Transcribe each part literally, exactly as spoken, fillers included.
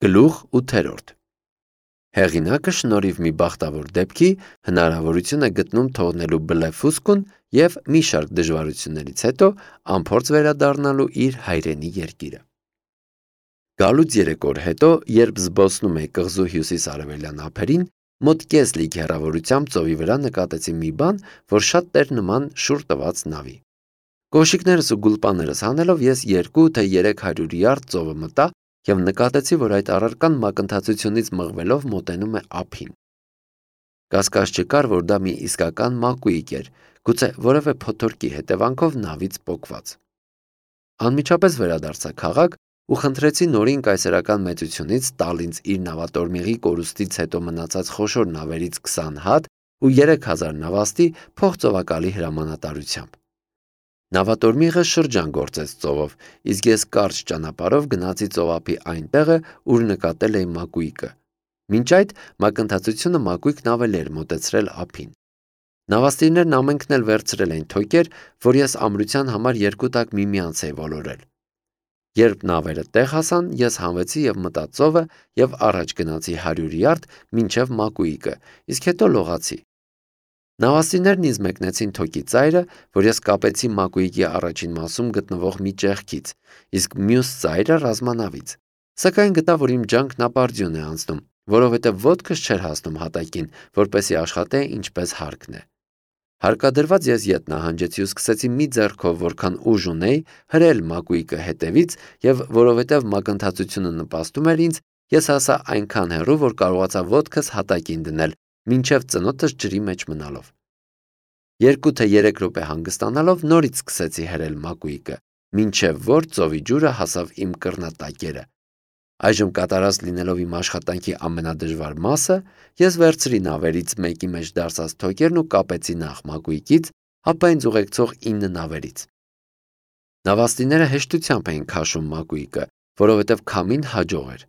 Գլուխ ութերորդ Հեղինակը շնորհիվ մի բախտավոր դեպքի հնարավորություն է գտնում թողնելու բլեֆուսկուն և մի շարք դժվարություններից հետո անփորձ վերադառնալու իր հայրենի երկիրը։ Գալուց երեք օր հետո, երբ զբոսնում էի կղզու հյուսիս-արևելյան ափերին, մոտ կես լիք հեռավորությամբ ծովի վրա նկատեցի մի բան, որ շատ էր նման շուռ տված նավի։ Կոշիկներս ու գուլպաներս հանելով ես երկու թե երեք հարյուր յարդ ծովը մտա և նկատեցի, որ այդ առարկան մակընթացությունից մղվելով մոտենում է ափին։ Կասկած չկար, որ դա մի իսկական մակույիկ էր, գուցե որևէ փոթորկի հետևանքով նավից պոկված։ Անմիջապես վերադարձա քաղաք ու խնդրեցի նորին կայսերական մեծությունից տալ ինձ իր նավատորմիղի կորուստից հետո մնացած խոշոր նավերից քսան հատ ու երեք հազար նավաստի փոխծովակալի հրամանատարությամբ։ Նավատորմիղը շրջան գործեց ծովով, իսկ ես կարճ ճանապարհով գնացի ծովափի այն տեղը, ուր նկատել էի մակույկը։ Մինչ այդ մակընթացությունը մակույկն ավելի էր մոտեցրել ափին։ Նավաստիներն ամենքն էլ վերցրել էին թոկեր, որ ես ամրության համար երկու տակ միմյանց էի ոլորել։ Երբ նավերը տեղ հասան, ես հանվեցի և մտա ծովը և առաջ գնացի հարյուր յարդ մինչև մակույկը, իսկ հետո լողացի։ Նավաստիներն ինձ մեկնեցին թոկի ծայրը, որ ես կապեցի մակույկի առաջին մասում գտնվող մի ճեղքից, իսկ մյուս ծայրը ռազմանավից։ Սակայն գտա, որ իմ ջանքն ապարդյուն է անցնում, որովհետև ոտքս չէր հասնում հատակին, որպեսզի աշխատե ինչպես հարկն է։ Հարկադրված ես ետ նահանջեցի ու սկսեցի մի ձեռքով, որքան ուժ ունեի, հրել մակույկը հետևից և որովհետև մակընթացությունը նպաստում էր ինձ, ես հասա այնքան հեռու, որ կարողացա ոտքս հատակին դնել, մինչև ծնոտս ջրի մեջ մնալով։ Երկու թե երեք րոպե հանգստանալով նորից սկսեցի հրել մակույկը, մինչև որ ծովի ջուրը հասավ իմ կռնատակերը։ Այժմ կատարած լինելով իմ աշխատանքի ամենադժվար մասը, ես վերցրի նավերից մեկի մեջ դարսած թոկերն ու կապեցի նախ մակույկից, ապա ինձ ուղեկցող ինը նավերից։ Նավաստիները հեշտությամբ էին քաշում մակույկը, որովհետև քամին հաջող էր,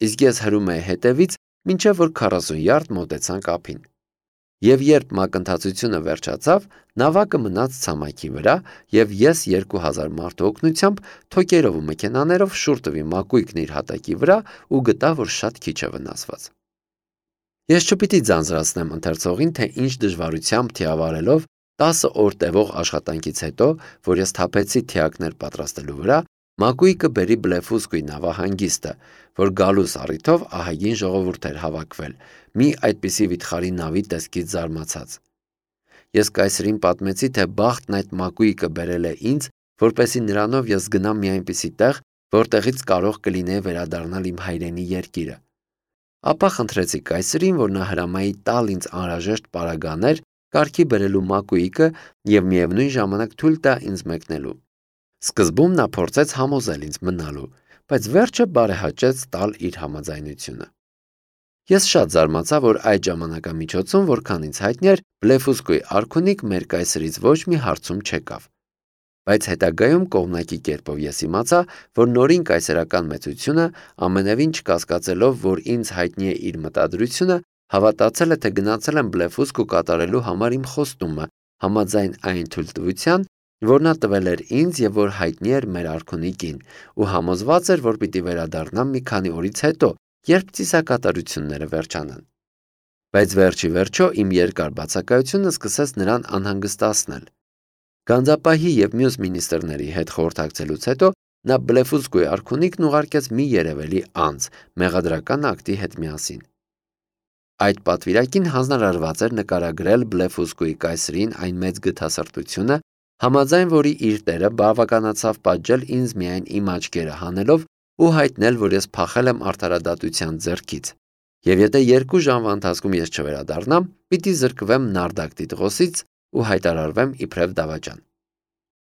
իսկ ես հրում էի հետևից, մինչև որ քառասուն յարդ մոտեցանք ափին։ Եվ երբ մակընթացությունը վերջացավ, նավակը մնաց ցամաքի վրա, և ես երկու հազար մարդու օգնությամբ թոկերով ու մեքենաներով շուռ տվի մակույկն իր հատակի վրա ու գտա, որ շատ քիչ է վնասված։ Ես չպիտի ձանձրացնեմ ընթերցողին, թե ինչ դժվարությամբ թիավարելով տասը օր տևող աշխատանքից հետո, որ ես թափեցի թիակներ պատրաստելու վրա, մակույկը բերի Բլեֆուսկուի նավահանգիստը, որ գալուս առիթով ահագին ժողովուրդ էր հավաքվել, մի այդպիսի վիթխարի նավի տեսքից զարմացած։ Ես կայսրին պատմեցի, թե բախտն այդ մակույկը բերել է ինձ, որպեսզի նրանով ես գնամ մի այնպիսի տեղ, որտեղից կարող կլինեի վերադառնալ իմ հայրենի երկիրը։ Ապա խնդրեցի կայսրին, որ նա հրամայի տալ ինձ անհրաժեշտ պարագաներ կարգի բերելու մակույկը և միևնույն ժամանակ թույլ տա ինձ մեկնելու։ Սկզբում նա փորձեց համոզել ինձ մնալու, բայց վերջը բարեհաճեց տալ իր համաձայնությունը։ Ես շատ զարմացա, որ այդ ժամանակամիջոցում, որքան ինձ հայտնի էր, Բլեֆուսկուի արքունիք մեր կայսրից ոչ մի հարցում չեկավ։ Բայց հետագայում կողմնակի կերպով ես իմացա, որ նորին կայսերական մեծությունը, ամենևին չկասկածելով, որ ինձ հայտնի է իր մտադրությունը, հավատացել է, թե գնացել եմ Բլեֆուսկու կատարելու համար իմ խոստումը, համաձայն այն թույլտվության, որ նա տվել էր ինձ և որ հայտնի էր մեր արքունիկին, ու համոզված էր, որ պիտի վերադառնամ մի քանի օրից հետո, երբ ծիսակատարությունները վերջանան։ Բայց վերջի վերջո իմ երկար բացակայությունը սկսեց նրան անհանգստացնել։ Գանձապահի և մյուս մինիստրների հետ խորհրդակցելուց հետո նա Բլեֆուսկուի արքունիքն ուղարկեց մի երևելի անձ մեղադրական ակտի հետ միասին։ Այդ պատվիրակին հանձնարարված էր նկարագրել Բլեֆուսկուի կայսրին այն մեծ գթասրտությունը, համաձայն որի իր տերը բավականացավ պատժել ինձ միայն իմ աչքերը հանելով ու հայտնել, որ ես փախել եմ արդարադատության ձեռքից, և եթե երկու ժամվա ընթացքում ես չվերադառնամ, պիտի զրկվեմ Նարդակ տիտղոսից ու հայտարարվեմ իբրև դավաճան։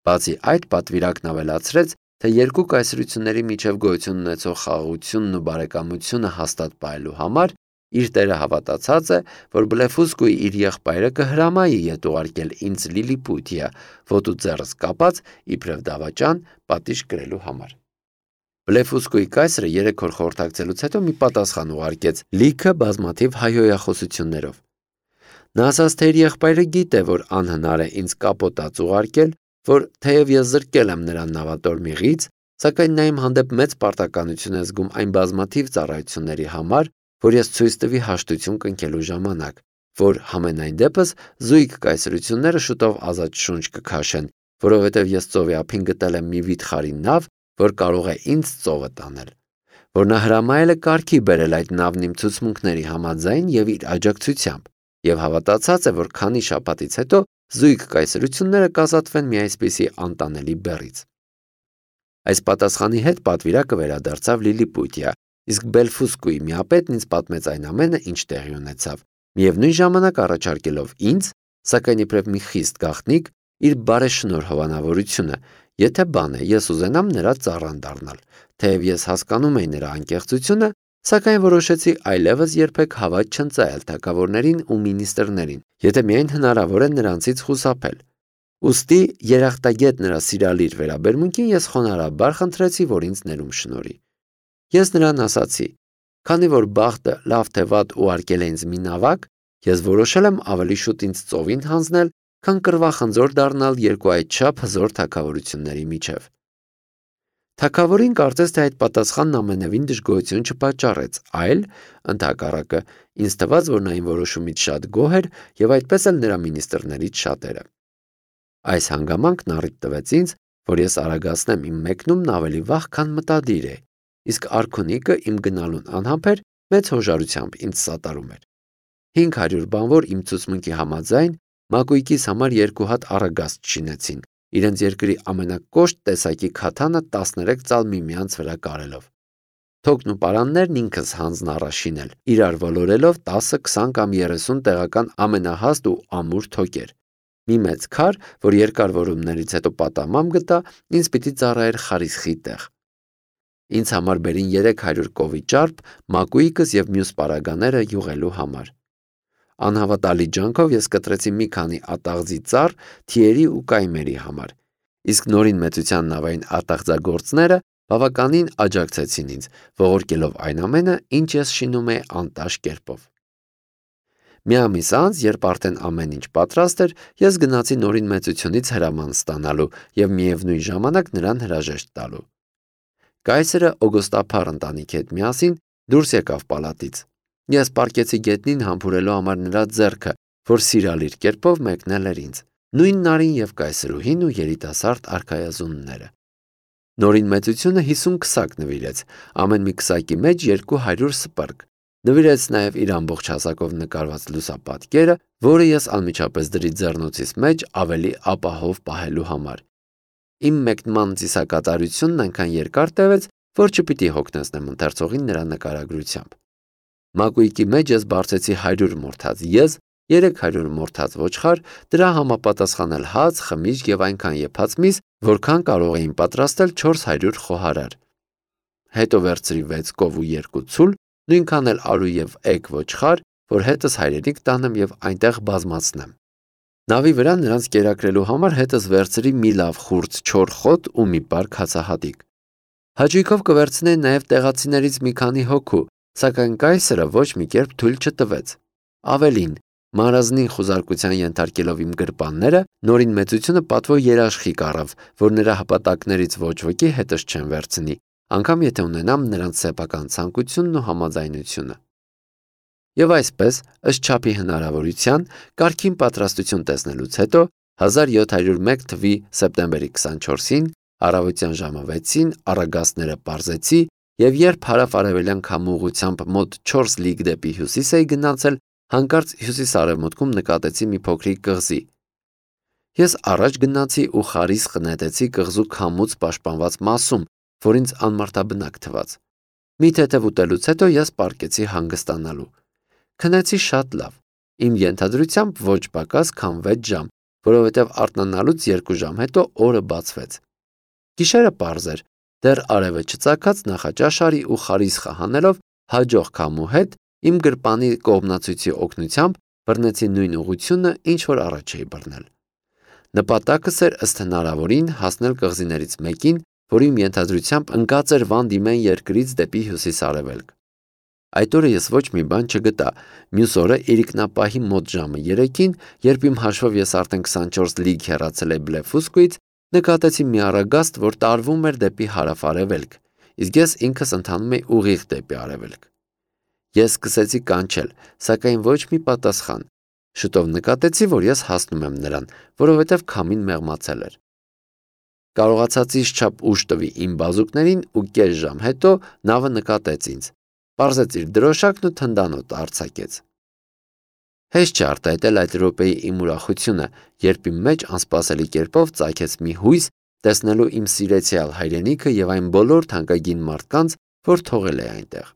Բացի այդ, պատվիրակն ավելացրեց, թե երկու կայսրությունների միջև գոյություն ունեցող խաղաղությունն ու բարեկամությունը հաստատ պահելու համար իր տերը հավատացած է, որ Բլեֆուսկուի իր եղբայրը կհրամայի ետ ուղարկել ինձ Լիլիպութիա, ոտու ձեռս կապած, իբրև դավաճան, պատիժ կրելու համար։ Բլեֆուսկուի կայսրը երեք օր խորհրդակցելուց հետո մի պատասխան ուղարկեց, լիքը բազմաթիվ հայհոյախոսություններով։ Նա ասաց, թե իր եղբայրը գիտե, որ անհնար է ինձ կապոտած ուղարկել, որ թեև ես զրկել եմ նրան նավատորմիղից, սակայն նա իմ հանդեպ մեծ պարտականություն է զգում այն բազմաթիվ ծառայությունների համար, որ ես ցույց տվի հաշտություն կնքելու ժամանակ, որ համենայն դեպս զույգ կայսրությունները շուտով ազատ շունչ կքաշեն, որովհետև ես ծովի ափին գտել եմ մի վիթխարի նավ, որ կարող է ինձ ծովը տանել, որ նա հրամայել է կարգի բերել այդ նավն իմ ցուցմունքների համաձայն եւ իր աջակցությամբ, եւ հավատացած է, որ քանի շաբաթից հետո զույգ կայսրությունները կազատվեն մի այսպիսի անտանելի բեռից։ Այս պատասխանի հետ պատվիրակը վերադարձավ Լիլիպուտիա, իսկ Բելֆուսկուի միապետն ինձ պատմեց այն ամենը, ինչ տեղի ունեցավ, միևնույն ժամանակ առաջարկելով ինձ, սակայն իբրև մի խիստ գաղտնիք, իր բարեշնորհ հովանավորությունը, եթե բան է, ես ուզենամ նրա ծառան դառնալ, թեև ես հասկանում էի նրա անկեղծությունը, սակայն որոշեցի այլևս երբեք հավատ չընծայել թագավորներին ու մինիստրներին, եթե միայն հնարավոր է նրանցից խուսափել։ Ուստի երախտագետ նրա սիրալիր վերաբերմունքին ես խոնարհաբար խնդրեցի, որ ինձ ներում շնորհի։ Ես նրան ասացի. քանի որ բախտը լավ թե վատ ուղարկել է ինձ մի նավակ, ես որոշել եմ ավելի շուտ ինձ ծովին հանձնել, քան կռվախնձոր դառնալ երկու այդչափ հզոր թագավորությունների միջև։ Թագավորին կարծես թե այդ պատասխանն ամենևին դժգոհություն չպատճառեց, այլ, ընդհակառակը, ինձ թվաց, որ նա իմ որոշումից շատ գոհ էր եւ այդպես էլ նրա մինիստրներից շատերը։ Այս հանգամանքն առիթ տվեց ինձ, որ ես արագացնեմ իմ մեկնումն ավելի վաղ, քան մտադիր է, իսկ արքունիկը իմ գնալուն անհամբեր մեծ հոժարությամբ ինձ սատարում էր։ հինգ հարյուր բանվոր իմ ցուցմունքի համաձայն մակույկիս համար երկու հատ առագաստ շինեցին, իրենց երկրի ամենակոշտ տեսակի քաթանը տասներեք ծալ միմյանց վրա կարելով։ Թոքն ու պարաններն ինքս հանձն առա շինել, իրար ոլորելով տասը, քսան կամ երեսուն տեղական ամենահաստ ու ամուր թոկեր։ Մի մեծ քար, որ երկար որումներից հետո պատամամ գտա, ինձ պիտի ծառայեր խարիսխի տեղ։ Ինձ համար բերին երեք հարյուր կովի ճարպ, մակույկս եւ մյուս պարագաները յուղելու համար։ Անհավատալի ջանքով ես կտրեցի մի քանի ատաղձի ծառ թիերի ու կայմերի համար, իսկ նորին մեծության նավային ատաղձագործները բավականին աջակցեցին ինձ, ողորկելով այն ամենը, ինչ ես շինում էի անտաշ կերպով։ Մի ամիս անց, երբ արդեն ամեն ինչ պատրաստ էր, ես գնացի նորին մեծությունից հրաման ստանալու եւ միևնույն ժամանակ նրան հրաժեշտ տալու։ Կայսրը օգոստափառ ընտանիքի հետ միասին դուրս եկավ պալատից։ Ես պառկեցի գետնին համբուրելու համար նրա ձեռքը, որ սիրալիր կերպով մեկնել էր ինձ, նույն նարին եւ կայսրուհին ու երիտասարդ արքայազունները։ Նորին մեծությունը հիսուն քսակ նվիրեց, ամեն մի քսակի մեջ երկու հարյուր սպրգ։ Նվիրեց նաև իր ամբողջ հասակով նկարված լուսապատկերը, որը ես անմիջապես դրի ձեռնոցիս մեջ ավելի ապահով պահելու համար։ Իմ մեկնման ծիսակատարությունն այնքան երկար տևեց, որ չպիտի հոգնեցնեմ ընթերցողին նրա նկարագրությամբ։ Մակույկի մեջ ես բարձեցի հարյուր մորթած եզ, երեք հարյուր մորթած ոչխար, դրա համապատասխանել հաց, խմիչք եւ այնքան եփած միս, որքան կարող էին պատրաստել չորս հարյուր խոհարար։ Հետո վերցրի վեց կով ու երկու ցուլ, նույնքան էլ արու եւ էգ ոչխար, որ հետս հայրենիք տանեմ եւ այնտեղ բազմացնեմ։ Նավի վրա նրանց կերակրելու համար հետս վերցրի մի լավ խուրձ չոր խոտ ու մի պարկ հացահատիկ։ Հաճույքով կվերցնեի նաև տեղացիներից մի քանի հոգու, սակայն կայսրը ոչ մի կերպ թույլ չտվեց։ Ավելին, մարազնին խուզարկության ենթարկելով իմ գրպանները, նորին մեծությունը պատվո երաշխիք առավ, որ նրա հպատակներից ոչ ոքի հետս չեն վերցնի, անգամ եթե ունենամ նրանց սեփական ցանկությունն ու համաձայնությունը։ Եվ այսպես, ըստ չափի հնարավորության, կարգին պատրաստություն տեսնելուց հետո հազար յոթ հարյուր մեկ թվականի սեպտեմբերի քսանչորսին առավոտյան ժամը վեցին առագաստները պարզեցի եւ երբ հարավ-արևելյան քամու ուղղությամբ մոտ չորս լիգ դեպի հյուսիս էի գնացել, հանկարծ հյուսիս-արևմուտքում նկատեցի մի փոքրիկ կղզի։ Ես առաջ գնացի ու խարիսխ նետեցի կղզու քամուց պաշտպանված մասում, որ ինձ անմարդաբնակ թվաց։ Մի թեթև ուտելուց հետո ես պառկեցի հանգստանալու։ Քնեցի շատ լավ, իմ ենթադրությամբ ոչ պակաս քան վեց ժամ, որովհետև արթնանալուց երկու ժամ հետո օրը բացվեց։ Գիշերը պարզ էր, դեռ արևը չծագած նախաճաշարի ու խարիսխը հանելով հաջող քամու հետ իմ գրպանի կողմնացույցի օգնությամբ բռնեցի նույն ուղղությունը, ինչ որ առաջ էի բռնել։ Նպատակս էր ըստ հնարավորին հասնել կղզիներից մեկին, որ իմ ենթադրությամբ ընկած էր Վան Դիմեն երկրից դեպի հյուսիս-արևելք։ Այդ օրը ես ոչ մի բան չգտա, մյուս օրը իրիկնապահի մոտ ժամը երեքին, երբ իմ հաշվով ես արդեն քսանչորս լիգ հեռացել էի Բլեֆուսկուից, Նկատեցի մի առագաստ, որ տարվում էր դեպի հարավ-արևելք, իսկ ես ինքս ընթանում էի ուղիղ դեպի արևելք։ Ես սկսեցի կանչել, սակայն ոչ մի պատասխան։ Շուտով նկատեցի, որ ես հասնում եմ նրան, որովհետև քամին մեղմացել էր։ Կարողացածի չափ ուժ տվի իմ բազուկներին ու կես ժամ հետո նավը նկատեց ինձ, պարզեց իր դրոշակն ու թնդանոթ արձակեց։ Հեշտ չէ արտահայտել այդ րոպեի իմ ուրախությունը, երբ իմ մեջ անսպասելի կերպով ծագեց մի հույս տեսնելու իմ սիրեցյալ հայրենիքը եւ այն բոլոր թանկագին մարդկանց, որ թողել էի այնտեղ։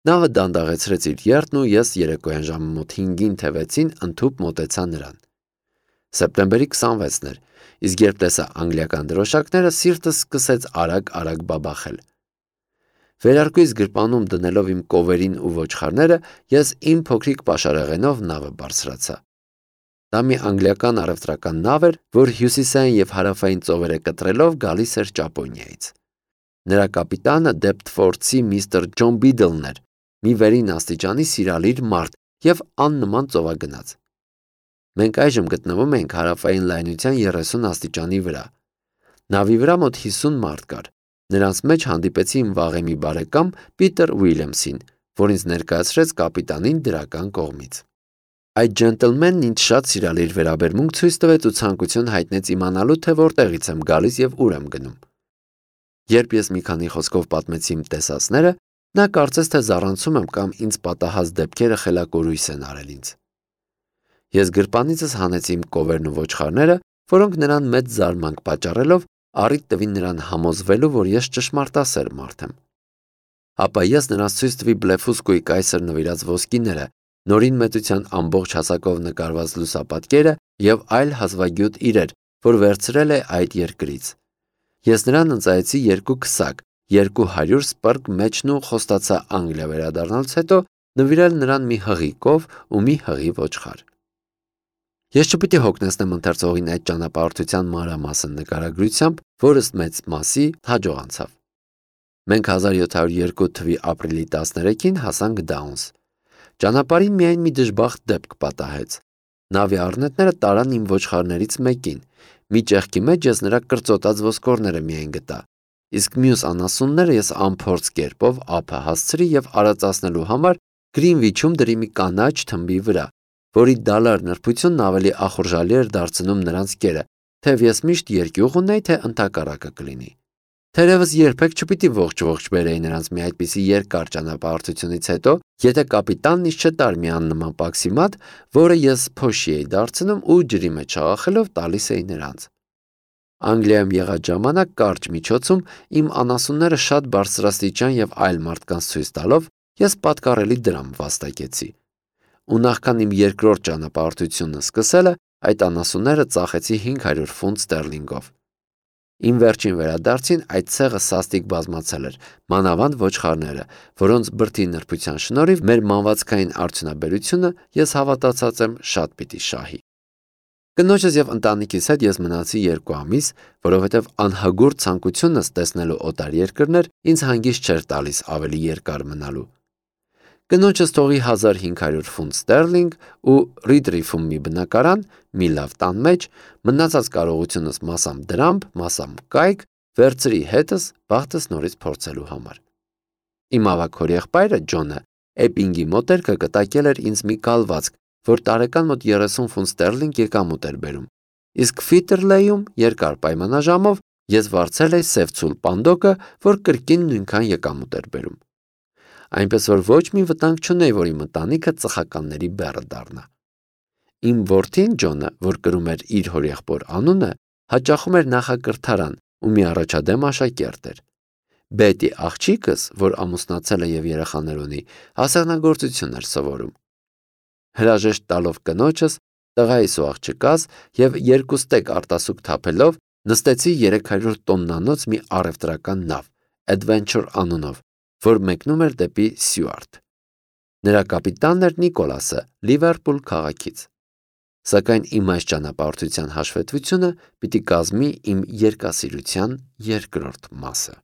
Նավը դանդաղեցրեց իր եռտն ու ես երեկոյան ժամը մոտ հինգին թե վեցին ընդհուպ մոտեցա նրան։ Սեպտեմբերի քսանվեցն էր, իսկ երբ տեսա անգլիական դրոշակները, սիրտս սկսեց արագ-արագ բաբախել։ Վերարկուից գրպանում դնելով իմ կովերին ու ոչխարները, ես իմ փոքրիկ պաշարեղենով նավը բարձրացա։ Դա մի անգլիական առևտրական նավ էր, որ հյուսիսային եւ հարավային ծովերը կտրելով գալիս էր Ճապոնիայից։ Նրա կապիտանը Դեպտֆորդցի միստր Ջոն Բիդլն էր, մի վերին աստիճանի սիրալիր մարդ եւ աննման ծովագնաց։ Մենք այժմ գտնվում ենք հարավային լայնության երեսուն աստիճանի վրա։ Նավի վրա մոտ հիսուն մարդ կար։ Նրանց մեջ հանդիպեցի իմ վաղեմի բարեկամ Պիտեր Ուիլյամսին, որ ինձ ներկայացրեց կապիտանին դրական կողմից։ Այդ ջենտլմենն ինձ շատ սիրալիր վերաբերմունք ցույց տվեց ու ցանկություն հայտնեց իմանալու, թե որտեղից եմ գալիս եւ ուր եմ գնում։ Երբ ես մի քանի խոսքով պատմեցի իմ տեսածները, նա կարծես թե զառանցում եմ կամ ինձ պատահած դեպքերը խելակորույս են արել ինձ։ Ես գրպանիցս հանեցի իմ կովերն ու ոչխարները, որոնք նրան մեծ զարմանք պատճառելով առիթ տվին նրան համոզվելու, որ ես ճշմարտասեր մարդ եմ։ Ապա ես նրանց ցույց տվի Բլեֆուսկոյի կայսր նվիրած ոսկիները, նորին մեծության ամբողջ հասակով նկարված լուսապատկերը եւ այլ հազվագյուտ իրեր, որ վերցրել է այդ երկրից։ Ես նրան ընծայեցի երկու քսակ, երկու հարյուր սպրգ մեջն ու խոստացա Անգլիա վերադառնալուց հետո նվիրել նրան մի հղի կով ու մի հղի ոչխար։ Ես չպիտի հոգնեցնեմ ընթերցողին այդ ճանապարհորդության մանրամասն նկարագրությամբ, որ ըստ մեծ մասի հաջող անցավ։ Մենք հազար յոթ հարյուր երկու թվականի ապրիլի տասներեքին հասանք Դաունս։ Ճանապարհին միայն մի դժբախտ դեպք պատահեց։ Նավի առնետները տարան իմ ոչխարներից մեկին։ Մի ճեղքի մեջ ես նրա կրծոտած ոսկորները միայն գտա, իսկ մյուս անասունները ես անփորձ կերպով ափը հասցրի եւ արածացնելու համար Գրինվիչում դրի մի կանաչ թմբի վրա, որի դալար նրբությունն ավելի ախորժալի էր դարձնում նրանց կերը, թեև ես միշտ երկյուղ ունեի, թե ընդհակառակը կլինի։ Թերևս երբեք չպիտի ողջ-ողջ բերեի նրանց մի այդպիսի երկար ճանապարհորդությունից հետո, եթե կապիտանն ինձ չտար մի աննման պաքսիմատ, որը ես փոշի էի դարձնում ու ջրի մեջ աղախելով տալիս էի նրանց։ Անգլիայում եղած ժամանակ կարճ միջոցում իմ անասունները շատ բարձրաստիճան եւ այլ մարդկանց ցույց տալով ես պատկառելի դրամ վաստակեցի։ Ու նախքան իմ երկրորդ ճանապարհորդությունը սկսելը, այդ անասունները ծախեցի հինգ հարյուր ֆունտ ստերլինգով։ Իմ վերջին վերադարձին այդ ցեղը սաստիկ բազմացել էր, մանավանդ ոչխարները, որոնց բրդի նրբության շնորհիվ մեր մանվածքային արդյունաբերությունը, ես հավատացած եմ, շատ պիտի շահի։ Կնոջս եւ ընտանիքիս հետ ես մնացի երկու ամիս, որովհետեւ անհագուրդ ցանկությունս տեսնելու օտար երկրներ ինձ հանգիստ չէր տալիս ավելի երկար մնալու։ Կնոջս թողի հազար հինգ հարյուր ֆունտ ստերլինգ ու Ռիդրիֆում մի բնակարան, մի լավ տան մեջ, մնացած կարողությունս մասամբ դրամբ, մասամբ կայք, վերցրի հետս բախտս նորից փորձելու համար։ Իմ ավագ հորեղբայրը Ջոնը Էպինգի մոտերքը կտակել էր ինձ մի կալվածք, որ տարեկան մոտ երեսուն ֆունտ ստերլինգ եկամուտ էր բերում, իսկ Ֆիտերլեյում երկար պայմանաժամով ես վարձել էի սև ցուլ պանդոկը, որ կրկին նույնքան եկամուտ էր բերում։ Այնպես որ ոչ մի վտանգ չունեի, որ իմ ընտանիքը ծխականների բեռը դառնա։ Իմ որդին Ջոնը, որ կրում էր իր հորեղբոր անունը, հաճախում էր նախակրթարան ու մի առաջադեմ աշակերտ էր։ Բետի աղջիկս, որ ամուսնացել է եւ երեխաներ ունի, հասարակագործություն էր սովորում։ Հրաժեշտ տալով կնոջս, տղայիս ու աղջկաս եւ երկուստեք արտասուք թափելով նստեցի երեք հարյուր տոննանոց մի առևտրական նավ, Adventure անունով, որ մեկնում էր դեպի Սյուարթ։ Նրա կապիտանն էր Նիկոլասը Լիվերպուլ քաղաքից։ Սակայն իմ այս ճանապարհորդության հաշվետվությունը պիտի կազմի իմ երկասիրության երկրորդ մասը։